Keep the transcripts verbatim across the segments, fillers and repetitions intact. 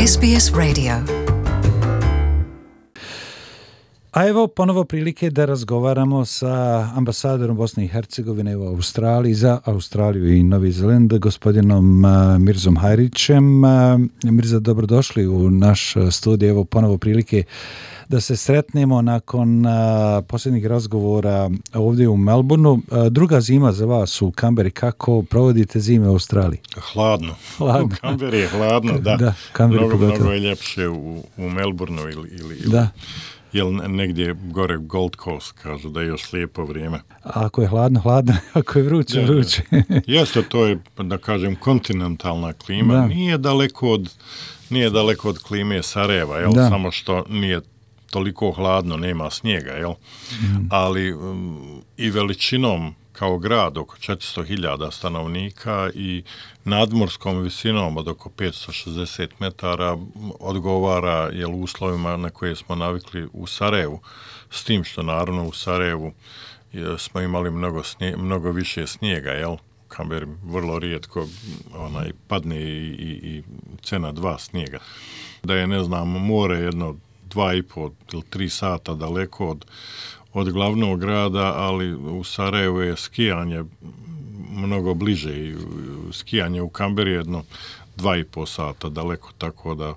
S B S Radio. A evo ponovo prilike da razgovaramo sa ambasadorom Bosne i Hercegovine u Australiji za Australiju i Novi Zeland, gospodinom Mirzom Hajrićem. Mirza, dobrodošli u naš studij. Evo ponovo prilike da se sretnemo nakon a, posljednjih razgovora ovdje u Melbourneu. A, druga zima za vas u Kamberi. Kako provodite zime u Australiji? Hladno. Hladno. U Kamberi je hladno, da. da mnogo, mnogo je ljepše u, u Melbourneu ili, ili, ili da. Jel negdje gore Gold Coast, kažu da je još lijepo vrijeme. A ako je hladno, hladno, ako je vruće, vruće. Jeste, to je, da kažem, kontinentalna klima. Da. Nije daleko od, nije daleko od klime Sarajeva, jel? Samo što nije toliko hladno, nema snijega, jel? Mm. Ali um, i veličinom kao grad oko četiristo hiljada stanovnika i nadmorskom visinom od oko petsto šezdeset metara odgovara jel, uslovima na koje smo navikli u Sarajevu, s tim što naravno u Sarajevu je, smo imali mnogo, snije, mnogo više snijega, jel? Kamberi vrlo rijetko onaj, padne i, i, i cena dva snijega. Da je, ne znam, more jedno dva i po ili tri sata daleko od od glavnog grada, ali u Sarajevu je skijanje mnogo bliže i skijanje u Kamberi jedno dva i po sata daleko, tako da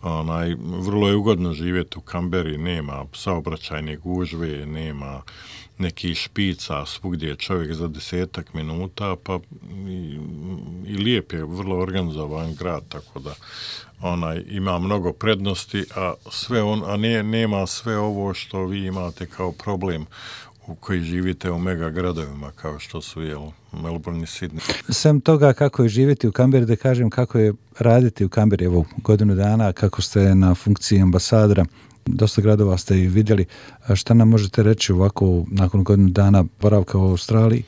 onaj, vrlo je ugodno živjeti u Kamberi, nema saobraćajne gužve, nema nekih špica, svugdje je čovjek za desetak minuta, pa i, i lijep je, vrlo organizovan grad, tako da onaj ima mnogo prednosti, a sve on, a ne, nema sve ovo što vi imate kao problem u koji živite u mega gradovima kao što su jel, Melbourne i Sydney. Sem toga kako je živjeti u Kamberi, da kažem kako je raditi u Kamberi evo godinu dana, kako ste na funkciji ambasadora, dosta gradova ste i vidjeli. Šta nam možete reći ovako nakon godinu dana boravka u Australiji?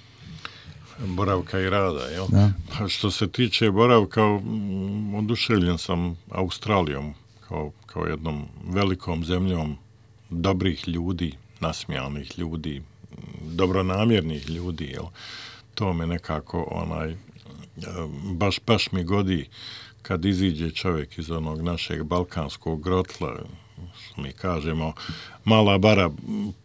Boravka i rada, jel? Da. Pa što se tiče boravka, oduševljen sam Australijom kao, kao jednom velikom zemljom dobrih ljudi, nasmijanih ljudi, dobronamjernih ljudi, jel? To me nekako onaj, baš, baš mi godi kad iziđe čovjek iz onog našeg balkanskog grotla, što mi kažemo, mala bara,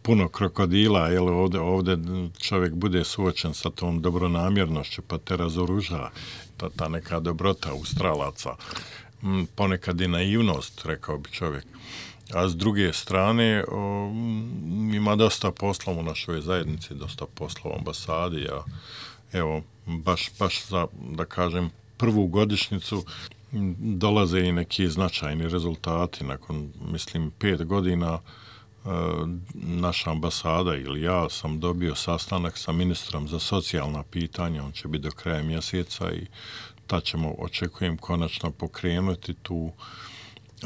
puno krokodila, jel, ovdje, ovdje čovjek bude suočen sa tom dobronamjernošću, pa te razoruža, ta, ta neka dobrota Australaca, ponekad i naivnost, rekao bi čovjek. A s druge strane, o, ima dosta posla u našoj zajednici, dosta posla u ambasadi, a evo, baš, baš za, da kažem, prvu godišnjicu dolaze i neki značajni rezultati. Nakon, mislim, pet godina e, naša ambasada ili ja sam dobio sastanak sa ministrom za socijalna pitanja, on će biti do kraja mjeseca i tad ćemo, očekujem, konačno pokrenuti tu e,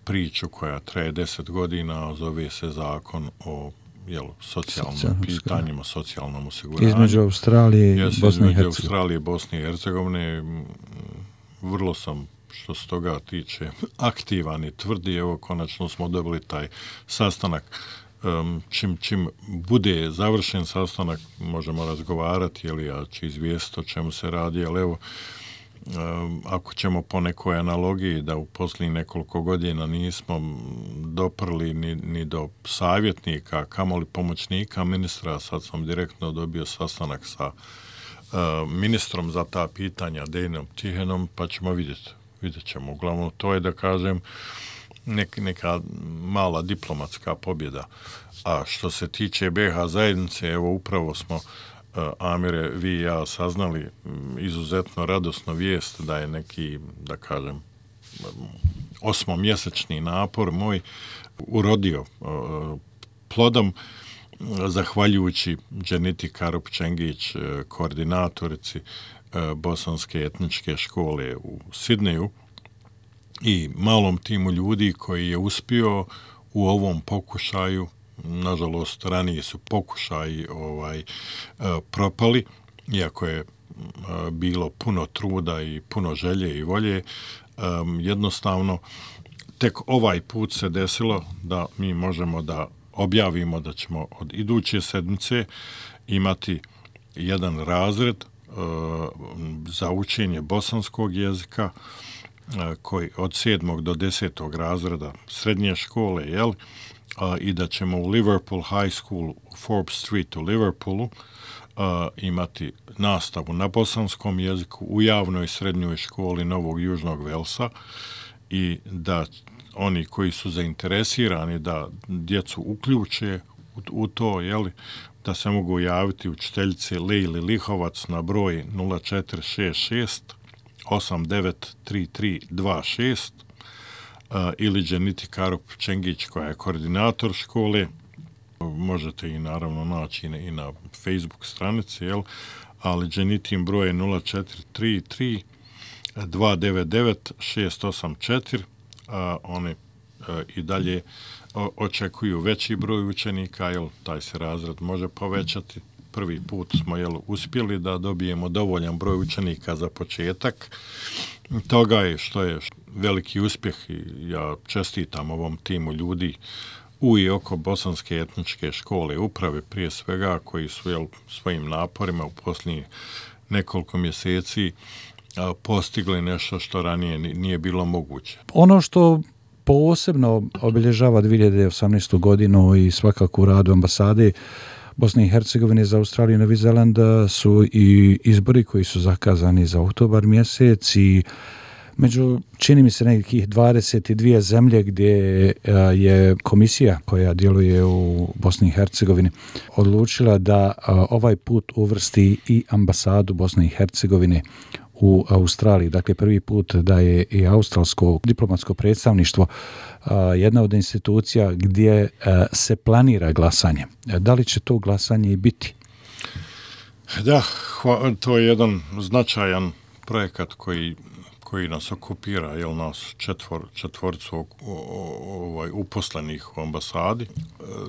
priču koja traje deset godina, zove se zakon o jel, socijalnim Socijalno, pitanjima, socijalnom osiguranju. Između Australije i Jesu, Bosne i Hercegovine. Hercegovine. Australije i Bosne i Hercegovine. Vrlo sam, što se toga tiče, aktivan i tvrdi. Evo, konačno smo dobili taj sastanak. Um, čim, čim bude završen sastanak, možemo razgovarati, jel, ja ću izvijestiti o čemu se radi, ali evo, um, ako ćemo po nekoj analogiji da u posljednjih nekoliko godina nismo doprli ni, ni do savjetnika, kamoli pomoćnika ministra, sad sam direktno dobio sastanak sa Uh, ministrom za ta pitanja Dejanom Tihenom, pa ćemo vidjeti. Vidjet ćemo. Uglavnom, to je, da kažem, nek, neka mala diplomatska pobjeda. A što se tiče B iH zajednice, evo upravo smo, uh, Amire, vi i ja saznali um, izuzetno radosnu vijest da je neki, da kažem, um, osmomjesečni napor moj urodio uh, plodom, zahvaljujući Dženiti Karup-Čengić, koordinatorici Bosanske etničke škole u Sidneju i malom timu ljudi koji je uspio u ovom pokušaju, nažalost ranije su pokušaji ovaj, propali, iako je bilo puno truda i puno želje i volje, jednostavno tek ovaj put se desilo da mi možemo da objavimo da ćemo od iduće sedmice imati jedan razred uh, za učenje bosanskog jezika koji od sedmog do desetog razreda srednje škole, jel? A, i da ćemo u Liverpool High School u Forbes Street u Liverpoolu a, imati nastavu na bosanskom jeziku u javnoj srednjoj školi Novog Južnog Velsa i da oni koji su zainteresirani da djecu uključe u, u to, jeli, da se mogu javiti učiteljice Lejli Lihovac na broj nula četiri šest šest osam devet tri tri dva šest uh, ili Dženiti Karup Čengić koja je koordinator škole. Možete i naravno naći i na, i na Facebook stranici, jel? Ali Dženitin broj je nula četiri tri tri dva devet devet šest osam četiri. Uh, one uh, i dalje o, očekuju veći broj učenika, jel? Taj se razred može povećati. Prvi put smo jel, uspjeli da dobijemo dovoljan broj učenika za početak. Toga je što je veliki uspjeh i ja čestitam ovom timu ljudi u i oko Bosanske etničke škole uprave prije svega koji su jel, svojim naporima u posljednjih nekoliko mjeseci a, postigli nešto što ranije nije bilo moguće. Ono što posebno obilježava dvije hiljade osamnaestu. godinu i svakako u radu ambasade Bosne i Hercegovine za Australiju i Novi Zeland su i izbori koji su zakazani za oktobar mjesec i među, čini mi se, nekih dvadeset dvije zemlje gdje je komisija koja djeluje u Bosni i Hercegovini odlučila da ovaj put uvrsti i ambasadu Bosne i Hercegovine u Australiji. Dakle, prvi put da je i australsko diplomatsko predstavništvo jedna od institucija gdje se planira glasanje. Da li će to glasanje i biti? Da, to je jedan značajan projekat koji koji nas okupira, jel nas četvor, četvorcu ovaj, uposlenih u ambasadi.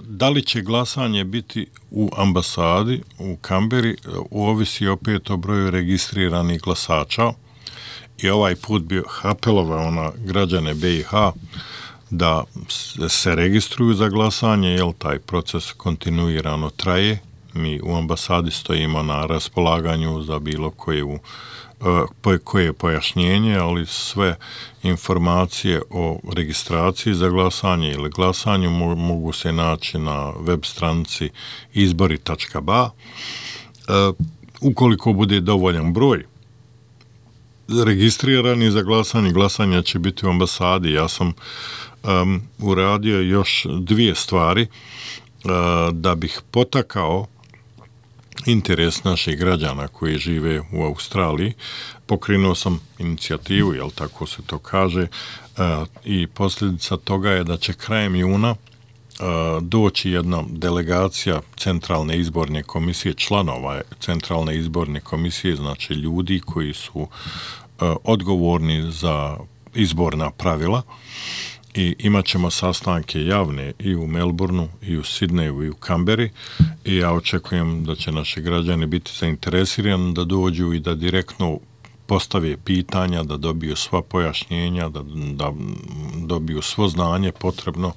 Da li će glasanje biti u ambasadi, u Kamberi, ovisi opet o broju registriranih glasača i ovaj put bi apelovao na građane B i H da se registruju za glasanje, jer taj proces kontinuirano traje. Mi u ambasadi stojimo na raspolaganju za bilo koju koje pojašnjenje, ali sve informacije o registraciji za glasanje ili glasanju mogu se naći na web stranici izbori tačka ba. Ukoliko bude dovoljan broj registrirani za glasanje, glasanja će biti u ambasadi. Ja sam um, uradio još dvije stvari uh, da bih potakao interes naših građana koji žive u Australiji. Pokrenuo sam inicijativu, jel tako se to kaže, i posljedica toga je da će krajem juna doći jedna delegacija Centralne izborne komisije, članova Centralne izborne komisije, znači ljudi koji su odgovorni za izborna pravila, i imat ćemo sastanke javne i u Melbourneu, i u Sidneju, i u Kamberi, i ja očekujem da će naši građani biti zainteresirani da dođu i da direktno postave pitanja, da dobiju sva pojašnjenja, da, da dobiju svo znanje potrebno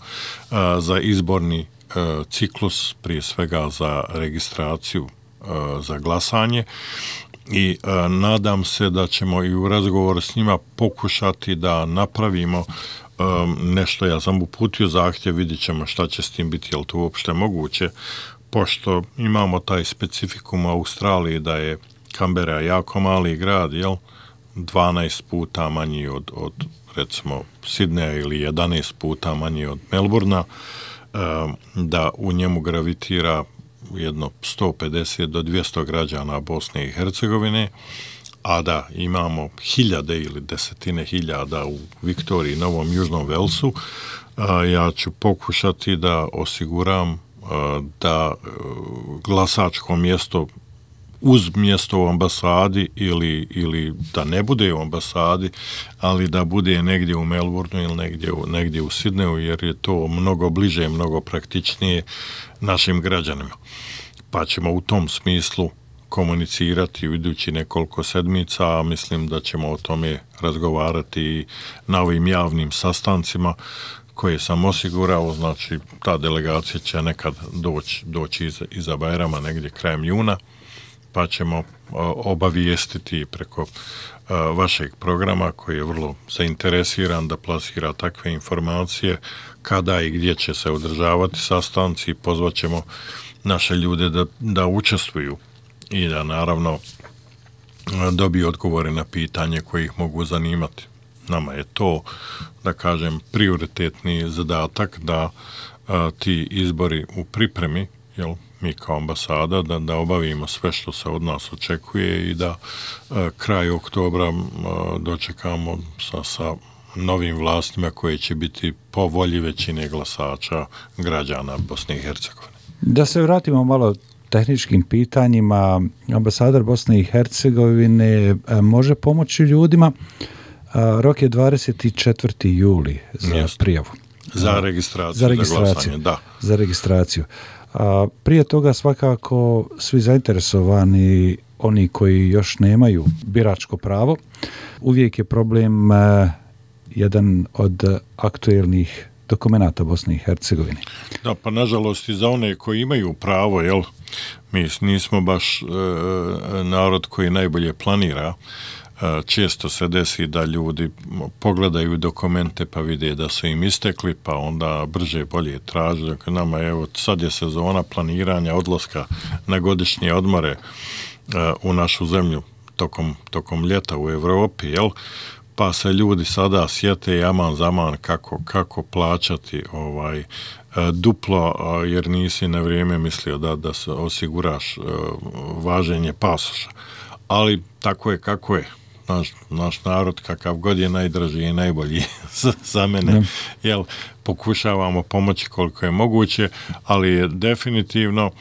a, za izborni a, ciklus, prije svega za registraciju a, za glasanje. I a, nadam se da ćemo i u razgovoru s njima pokušati da napravimo Um, nešto. Ja sam uputio zahtjev, vidjet ćemo šta će s tim biti, je li to uopšte moguće, pošto imamo taj specifikum u Australiji da je Kambera jako mali grad, jel, dvanaest puta manji od, od recimo Sidneja ili jedanaest puta manji od Melbournea, um, da u njemu gravitira jedno sto pedeset do dvjesto građana Bosne i Hercegovine, a da imamo hiljade ili desetine hiljada u Viktoriji, Novom Južnom Velsu, a, ja ću pokušati da osiguram a, da a, glasačko mjesto uz mjesto u ambasadi ili, ili da ne bude u ambasadi, ali da bude negdje u Melbourneu ili negdje, negdje u Sidneju, jer je to mnogo bliže, mnogo praktičnije našim građanima. Pa ćemo u tom smislu komunicirati u idući nekoliko sedmica, a mislim da ćemo o tome razgovarati na ovim javnim sastancima koje sam osigurao. Znači, ta delegacija će nekad doći, doći iza, iza Bajrama, negdje krajem juna, pa ćemo obavijestiti preko vašeg programa koji je vrlo zainteresiran da plasira takve informacije kada i gdje će se održavati sastanci, pozvat ćemo naše ljude da, da učestvuju i da naravno dobiju odgovore na pitanje koje ih mogu zanimati. Nama je to, da kažem, prioritetni zadatak da a, ti izbori u pripremi, jel, mi kao ambasada, da, da obavimo sve što se od nas očekuje i da a, kraj oktobra a, dočekamo sa, sa novim vlastima koje će biti po volji većine glasača građana Bosne i Hercegovine. Da se vratimo malo tehničkim pitanjima, ambasador Bosne i Hercegovine može pomoći ljudima. Rok je dvadeset četvrti juli za Jest. prijavu. Za registraciju, za, registraciju, za glasanje, da. Za registraciju. A, prije toga svakako svi zainteresovani, oni koji još nemaju biračko pravo, uvijek je problem a, jedan od aktuelnih dokumenata Bosne i Hercegovine. Da, pa nažalost i za one koji imaju pravo, jel, mi nismo baš e, narod koji najbolje planira. E, često se desi da ljudi pogledaju dokumente pa vide da su im istekli, pa onda brže bolje traže. Dakle, nama evo, sad je sezona planiranja odlaska na godišnje odmore e, u našu zemlju tokom, tokom ljeta u Evropi, jel? Pa se ljudi sada sjete jaman zaman kako, kako plaćati ovaj duplo, jer nisi na vrijeme mislio da, da se osiguraš važenje pasoša. Ali tako je kako je. Naš, naš narod, kakav god je najdraži i najbolji za mene, mm. jel, pokušavamo pomoći koliko je moguće, ali je definitivno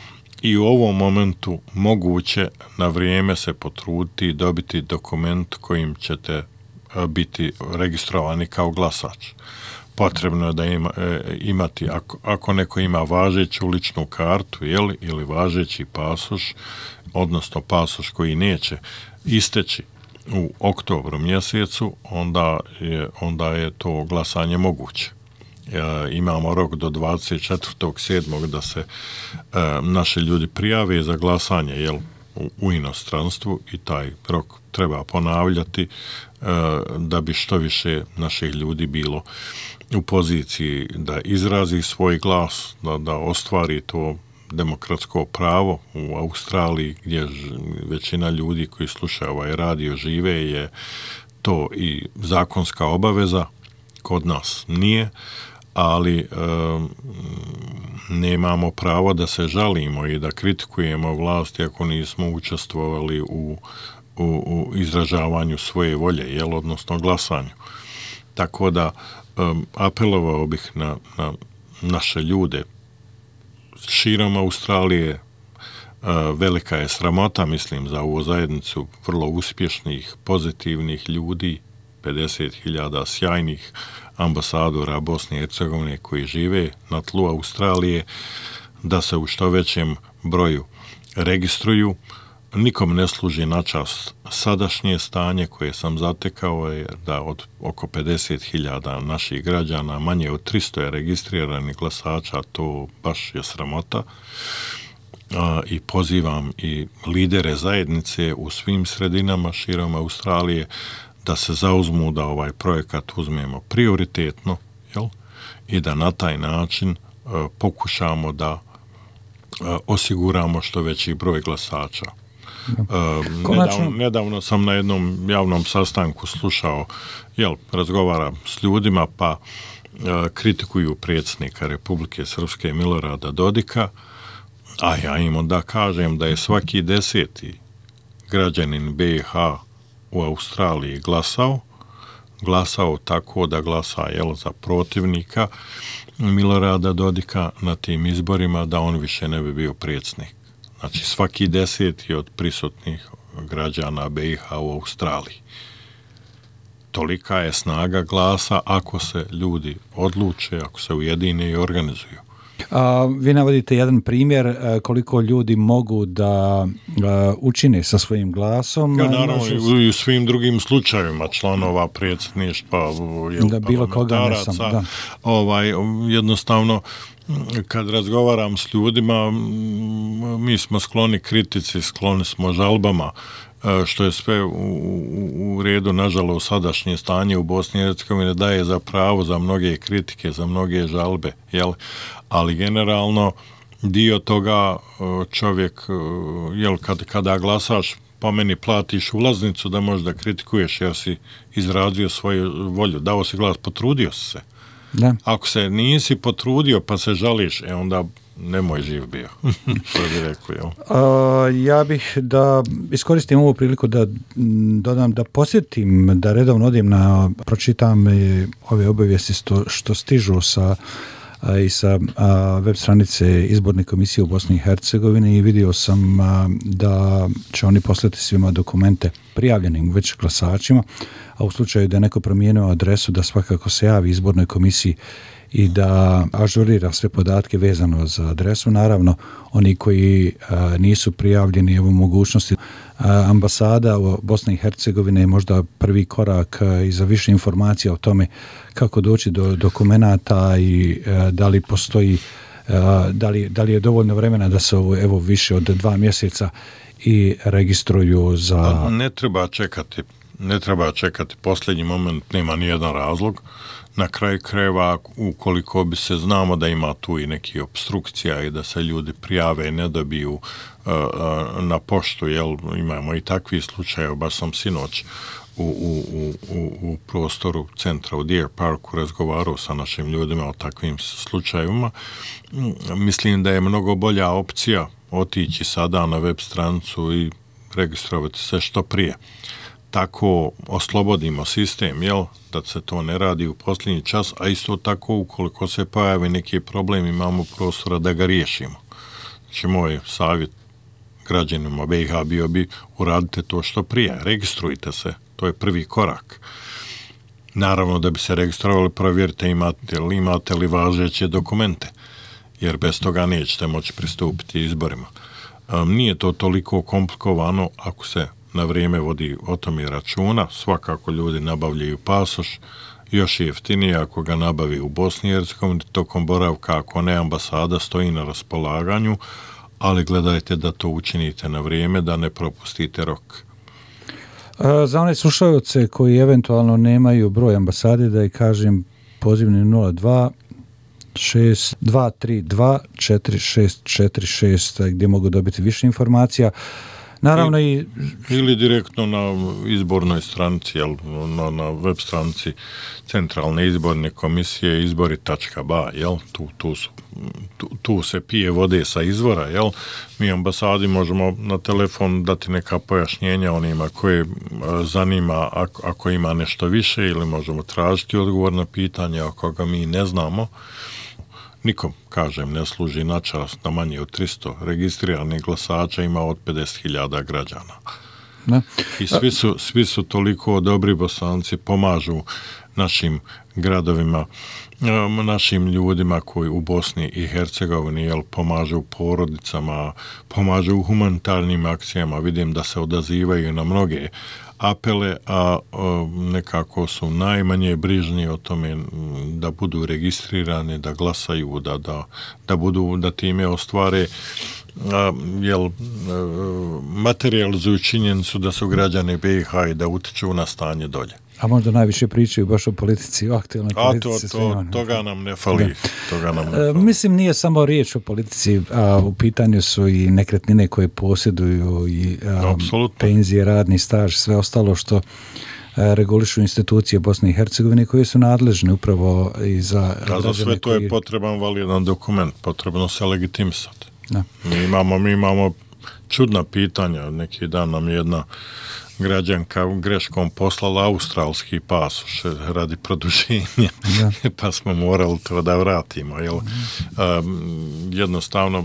i u ovom momentu moguće na vrijeme se potruditi i dobiti dokument kojim ćete biti registrovani kao glasač. Potrebno je da ima, e, imati, ako, ako neko ima važeću ličnu kartu, jel, ili važeći pasoš, odnosno pasoš koji neće isteći u oktobru mjesecu, onda je, onda je to glasanje moguće. E, imamo rok do dvadeset četvrtog sedmog da se e, naši ljudi prijave za glasanje, jel, u, u inostranstvu i taj rok treba ponavljati da bi što više naših ljudi bilo u poziciji da izrazi svoj glas, da, da ostvari to demokratsko pravo. U Australiji, gdje većina ljudi koji slušaju ovaj radio žive, je to i zakonska obaveza, kod nas nije, ali e, nemamo pravo da se žalimo i da kritikujemo vlast ako nismo učestvovali u U, u izražavanju svoje volje, jel, odnosno glasanju. Tako da um, apelovao bih na, na naše ljude širom Australije. Uh, velika je sramota, mislim, za ovu zajednicu vrlo uspješnih, pozitivnih ljudi, pedeset hiljada sjajnih ambasadora Bosne i Hercegovine koji žive na tlu Australije, da se u što većem broju registruju. Nikom ne služi na čast sadašnje stanje koje sam zatekao je da od oko pedeset hiljada naših građana, manje od tristo je registriranih glasača, to baš je sramota. A, i pozivam i lidere zajednice u svim sredinama širom Australije da se zauzmu da ovaj projekat uzmemo prioritetno, jel? I da na taj način a, pokušamo da a, osiguramo što veći broj glasača. Uh, nedavno, nedavno sam na jednom javnom sastanku slušao, jel, razgovaram s ljudima, pa uh, kritikuju predsjednika Republike Srpske Milorada Dodika, a ja im onda kažem da je svaki deseti građanin B i H u Australiji glasao, glasao tako da glasa, jel, za protivnika Milorada Dodika na tim izborima, da on više ne bi bio predsjednik. Znači, svaki deseti od prisutnih građana B i H u Australiji. Tolika je snaga glasa ako se ljudi odluče, ako se ujedine i organizuju. A, vi navodite jedan primjer a, koliko ljudi mogu da a, učine sa svojim glasom. Ja, naravno, i u svim drugim slučajevima članova predsjedništva, jel, da bilo koga ne sam, da. Ovaj, jednostavno, kad razgovaram s ljudima, mi smo skloni kritici, skloni smo žalbama, što je sve u, u, u redu, nažalost, sadašnje stanje u Bosni i Hercegovini daje za pravo za mnoge kritike, za mnoge žalbe, jel? Ali generalno dio toga čovjek, jel, kad, kada glasaš, po meni platiš ulaznicu da možeš da kritikuješ jer si izrazio svoju volju, dao si glas, potrudio si se. Da. Ako se nisi potrudio pa se žališ, e onda nemoj živ bio, što bi rekao. Jel? A, ja bih da iskoristim ovu priliku da dodam, da posjetim, da redovno odim na, pročitam ove obavijesti što, što stižu sa a, i sa a, web stranice Izborne komisije u Bosni i Hercegovini i vidio sam a, da će oni poslati svima dokumente prijavljenim već glasačima, a u slučaju da je neko promijenio adresu da svakako se javi Izbornoj komisiji i da ažurira sve podatke vezano za adresu. Naravno, oni koji a, nisu prijavljeni evo mogućnosti, a, ambasada u Bosne i Hercegovine je možda prvi korak a, i za više informacija o tome kako doći do dokumenata i a, da li postoji, a, da li, da li je dovoljno vremena da se ovo, evo više od dva mjeseca i registruju za... Ne treba čekati, ne treba čekati posljednji moment, nema nijedan razlog. Na kraju krajeva, ukoliko bi se znamo da ima tu i neki obstrukcija i da se ljudi prijave i ne dobiju uh, uh, na poštu, jel, imamo i takvi slučaje, baš sam sinoć u, u, u, u prostoru centra u Deer Parku razgovarao sa našim ljudima o takvim slučajevima. Mislim da je mnogo bolja opcija otići sada na web stranicu i registrovati se što prije. Tako oslobodimo sistem, jel, da se to ne radi u posljednji čas, a isto tako ukoliko se pojavi neki problem imamo prostora da ga riješimo. Znači moj savjet građanima B i H bio bi uradite to što prije, registrujte se, to je prvi korak. Naravno da bi se registrovali, provjerite imate li, imate li važeće dokumente, jer bez toga nećete moći pristupiti izborima. Um, nije to toliko komplikovano ako se na vrijeme vodi o tome računa, svakako ljudi nabavljaju pasoš, još je jeftinije ako ga nabavi u Bosni i Hercegovini, tokom boravka, ako ne, ambasada stoji na raspolaganju, ali gledajte da to učinite na vrijeme, da ne propustite rok. Za one slušalce koji eventualno nemaju broj ambasade, da i kažem pozivni nula dva šest dva tri dva četiri šest četiri šest gdje mogu dobiti više informacija. Naravno i, i ili direktno na izbornoj stranici, jel, na, na web stranici Centralne izborne komisije izbori tačka ba, jel, tu, tu, su, tu, tu se pije vode sa izvora, jel, mi ambasadi možemo na telefon dati neka pojašnjenja onima koje zanima ako, ako ima nešto više ili možemo tražiti odgovor na pitanje ako ga mi ne znamo. Nikom, kažem, ne služi na čast da manje od tristo registriranih glasača ima od pedeset hiljada građana. Ne. I svi su, svi su toliko dobri Bosanci, pomažu našim gradovima, našim ljudima koji u Bosni i Hercegovini, jel, pomažu porodicama, pomažu u humanitarnim akcijama, vidim da se odazivaju na mnoge apele, a o, nekako su najmanje brižni o tome da budu registrirani, da glasaju, da, da, da budu, da time ostvare, a, jel, materializuju činjenicu da su građani B i H i da utiču na stanje dolje. A možda najviše pričaju baš o politici, o aktualnoj politici. A to, to, toga nam ne fali. Toga nam ne fali. E, mislim, nije samo riječ o politici, a u pitanju su i nekretnine koje posjeduju i a, penzije, radni staž, sve ostalo što a, regulišu institucije Bosne i Hercegovine koje su nadležne upravo i za... A za sve to koji... je potreban validan dokument, potrebno se legitimisati. Mi imamo, mi imamo čudna pitanja, neki dan nam jedna građanka greškom poslala australski pasoš radi produženja, ja. Pa smo morali to da vratimo. Jel? Um, jednostavno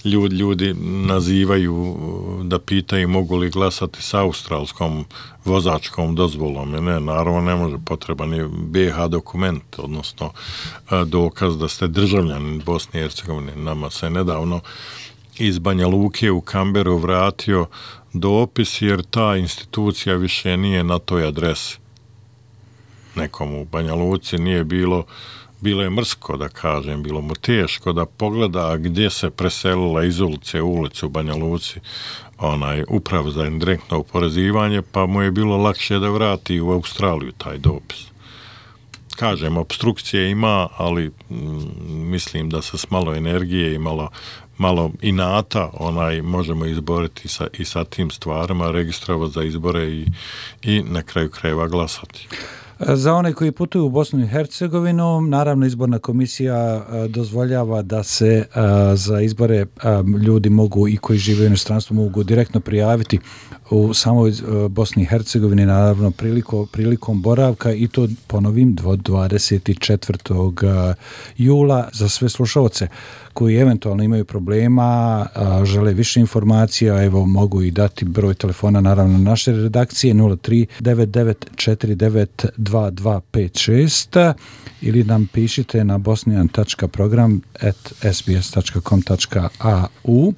ljudi, ljudi nazivaju da pitaju mogu li glasati s australskom vozačkom dozvolom. Ne, naravno ne može, potreban je be ha dokument, odnosno dokaz da ste državljanin Bosne i Hercegovine. Nama se nedavno iz Banja Luke u Kamberu vratio dopis jer ta institucija više nije na toj adresi. Nekomu u Banja Luci nije bilo, bilo je mrsko da kažem, bilo mu teško da pogleda gdje se preselila iz ulice u ulicu u Banja Luci onaj uprav za indirektno oporezivanje, pa mu je bilo lakše da vrati u Australiju taj dopis. Kažem, obstrukcije ima, ali mm, mislim da se s malo energije i malo malo inata onaj možemo izboriti sa, i sa tim stvarima, registrovati za izbore i, i na kraju krajeva glasati. Za one koji putuju u Bosnu i Hercegovinu, naravno izborna komisija dozvoljava da se za izbore ljudi mogu i koji žive u inostranstvu mogu direktno prijaviti u samoj Bosni i Hercegovini, naravno prilikom, prilikom boravka i to ponovim dvadeset četvrtog jula za sve slušalce koji eventualno imaju problema, žele više informacija, evo mogu i dati broj telefona naravno naše redakcije nula tri devet devet četiri devet dva dva pet šest ili nam pišite na bosnian tačka program at s b s tačka com tačka a u.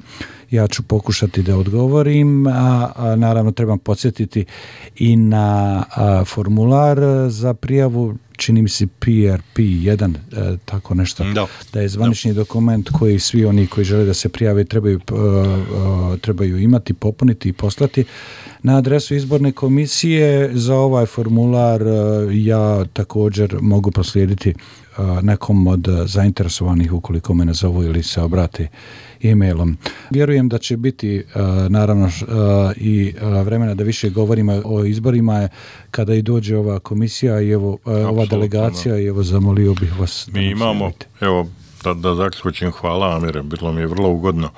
Ja ću pokušati da odgovorim, a, a naravno trebam podsjetiti i na a, formular za prijavu, čini mi se P R P jedan, e, tako nešto, no. da je zvanični no. dokument koji svi oni koji žele da se prijave trebaju, uh, uh, trebaju imati, popuniti i poslati na adresu izborne komisije. Za ovaj formular uh, ja također mogu proslijediti uh, nekom od zainteresovanih ukoliko me nazovu ili se obrate e-mailom. Vjerujem da će biti uh, naravno uh, i uh, vremena da više govorimo o izborima kada i dođe ova komisija i evo uh, ova delegacija i evo zamolio bih vas da mi imamo, javite. Evo da, da zaključim, hvala Amire, bilo mi je vrlo ugodno.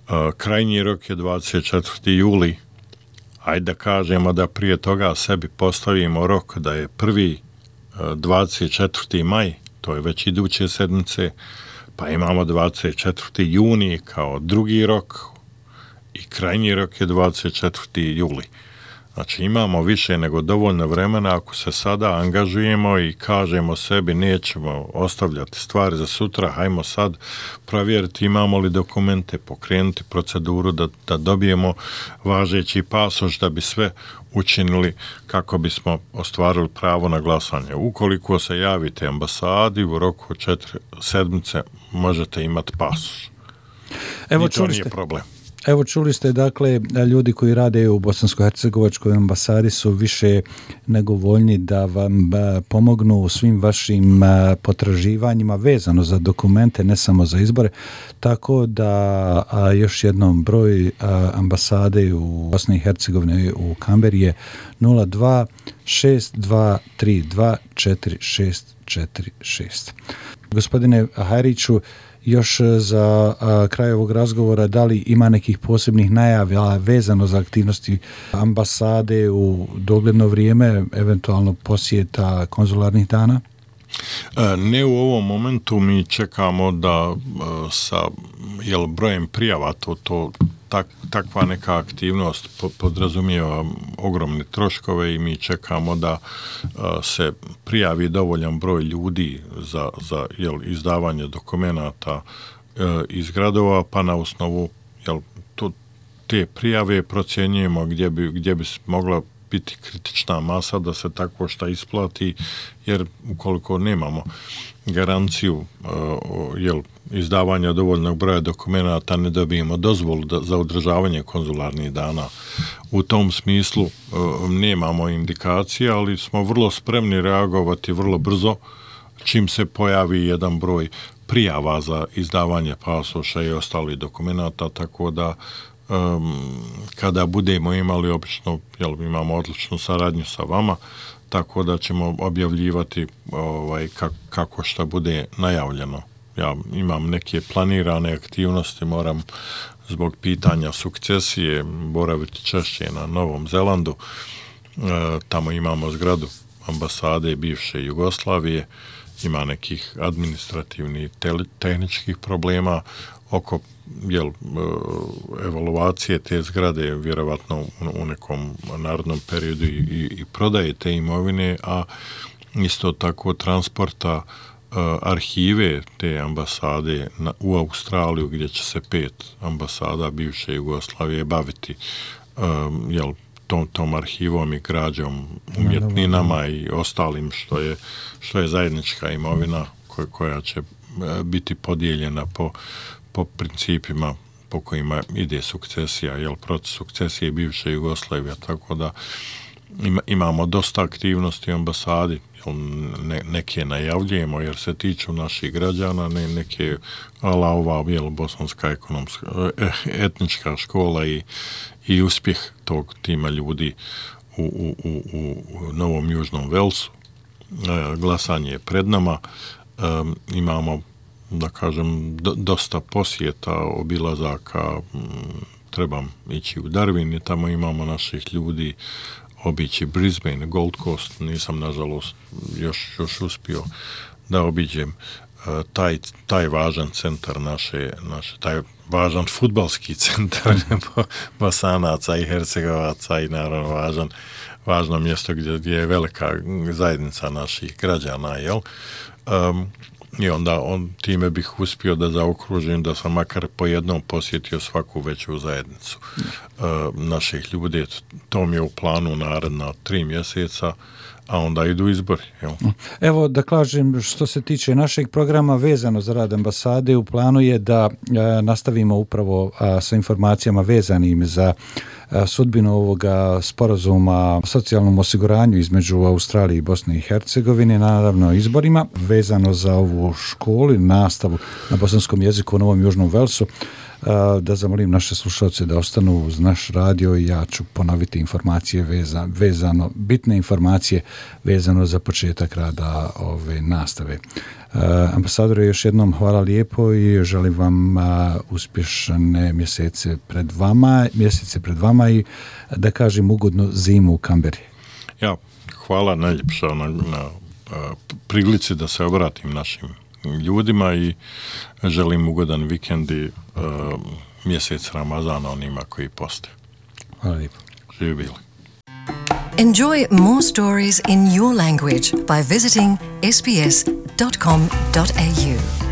Uh, krajnji rok je dvadeset četvrti juli. Ajde da kažemo da prije toga sebi postavimo rok da je prvi uh, dvadeset četvrti maj, to je već iduće sedmice, pa imamo dvadeset četvrti juni kao drugi rok i krajnji rok je dvadeset četvrti juli. Znači imamo više nego dovoljno vremena ako se sada angažujemo i kažemo sebi nećemo ostavljati stvari za sutra, hajmo sad provjeriti imamo li dokumente, pokrenuti proceduru da, da dobijemo važeći pasoš da bi sve učinili kako bismo ostvarili pravo na glasanje. Ukoliko se javite ambasadi u roku četiri sedmice možete imati pasoš. Evo, I to nije problem. Evo čuli ste, dakle, ljudi koji rade u Bosansko-hercegovačkoj ambasadi su više nego voljni da vam pomognu u svim vašim potraživanjima vezano za dokumente, ne samo za izbore, tako da a, još jednom broj a, ambasade u Bosni i Hercegovini u Kamberi je nula dva šest dva tri dva četiri šest četiri šest. Gospodine Hajriću, još za a, kraj ovog razgovora, da li ima nekih posebnih najava vezano za aktivnosti ambasade u dogledno vrijeme, eventualno posjeta konzularnih dana? Ne u ovom momentu, mi čekamo da sa jel, brojem prijava to, to tak, takva neka aktivnost podrazumijeva ogromne troškove i mi čekamo da se prijavi dovoljan broj ljudi za, za jel, izdavanje dokumenata iz gradova, pa na osnovu jel, to, te prijave procjenjujemo gdje bi, gdje bi mogla biti kritična masa da se tako šta isplati, jer ukoliko nemamo garanciju uh, jel, izdavanja dovoljnog broja dokumenata, ne dobijemo dozvolu da, za održavanje konzularnih dana. U tom smislu uh, nemamo indikacije, ali smo vrlo spremni reagovati vrlo brzo čim se pojavi jedan broj prijava za izdavanje pasoša i ostalih dokumenata, tako da Um, kada budemo imali obično, jel, imamo odličnu saradnju sa vama, tako da ćemo objavljivati ovaj, kako, kako šta bude najavljeno ja imam neke planirane aktivnosti, moram zbog pitanja sukcesije boraviti češće na Novom Zelandu. E, tamo imamo zgradu ambasade bivše Jugoslavije, ima nekih administrativnih, tehničkih problema oko jel, evaluacije te zgrade, vjerovatno u nekom narodnom periodu i, i, i prodaje te imovine, a isto tako transporta uh, arhive te ambasade na, u Australiju, gdje će se pet ambasada bivše Jugoslavije baviti um, jel, tom, tom arhivom i građom, umjetninama i ostalim što je, što je zajednička imovina koja, koja će uh, biti podijeljena po, po principima po kojima ide sukcesija, jel, proces sukcesije bivše Jugoslavije, tako da ima, imamo dosta aktivnosti u ambasadi, ne, neke najavljujemo jer se tiču naših građana, ne, neke ala ova jel, bosanska ekonomska etnička škola i, i uspjeh tog tima ljudi u, u, u, u Novom Južnom Velsu. E, glasanje je pred nama, e, imamo da kažem do, dosta posjeta, obilazaka, m, trebam ići u Darwin i tamo imamo naših ljudi, obići Brisbane, Gold Coast, nisam nažalost još, još uspio da obiđem uh, taj, taj važan centar naše, naše taj važan fudbalski centar Bosanaca i Hercegovaca i naravno važan, važno mjesto gdje, gdje je velika zajednica naših građana, jel? Um, I onda on, time bih uspio da zaokružim da sam makar po jednom posjetio svaku veću zajednicu uh, naših ljudi. To mi je u planu naredna tri mjeseca, a onda idu izbori. Jel? Evo da kažem, što se tiče našeg programa vezano za rad ambasade, u planu je da e, nastavimo upravo a, sa informacijama vezanim za a, sudbinu ovoga sporazuma o socijalnom osiguranju između Australije i Bosne i Hercegovine, naravno izborima, vezano za ovu školu i nastavu na bosanskom jeziku u Novom Južnom Velsu. Da zamolim naše slušalce da ostanu uz naš radio i ja ću ponoviti informacije veza, vezano, bitne informacije vezano za početak rada ove nastave. Ambasadore, još jednom hvala lijepo i želim vam uspješne mjesece pred vama, mjesece pred vama i da kažem ugodnu zimu u Kamberi. Ja, hvala najljepša na, na prilici da se obratim našim ljudima i želim ugodan vikend i uh, mjesec Ramazana onima koji poste. Hvala lijepo. Živi bili. Enjoy more stories in your language by visiting s b s dot com dot a u.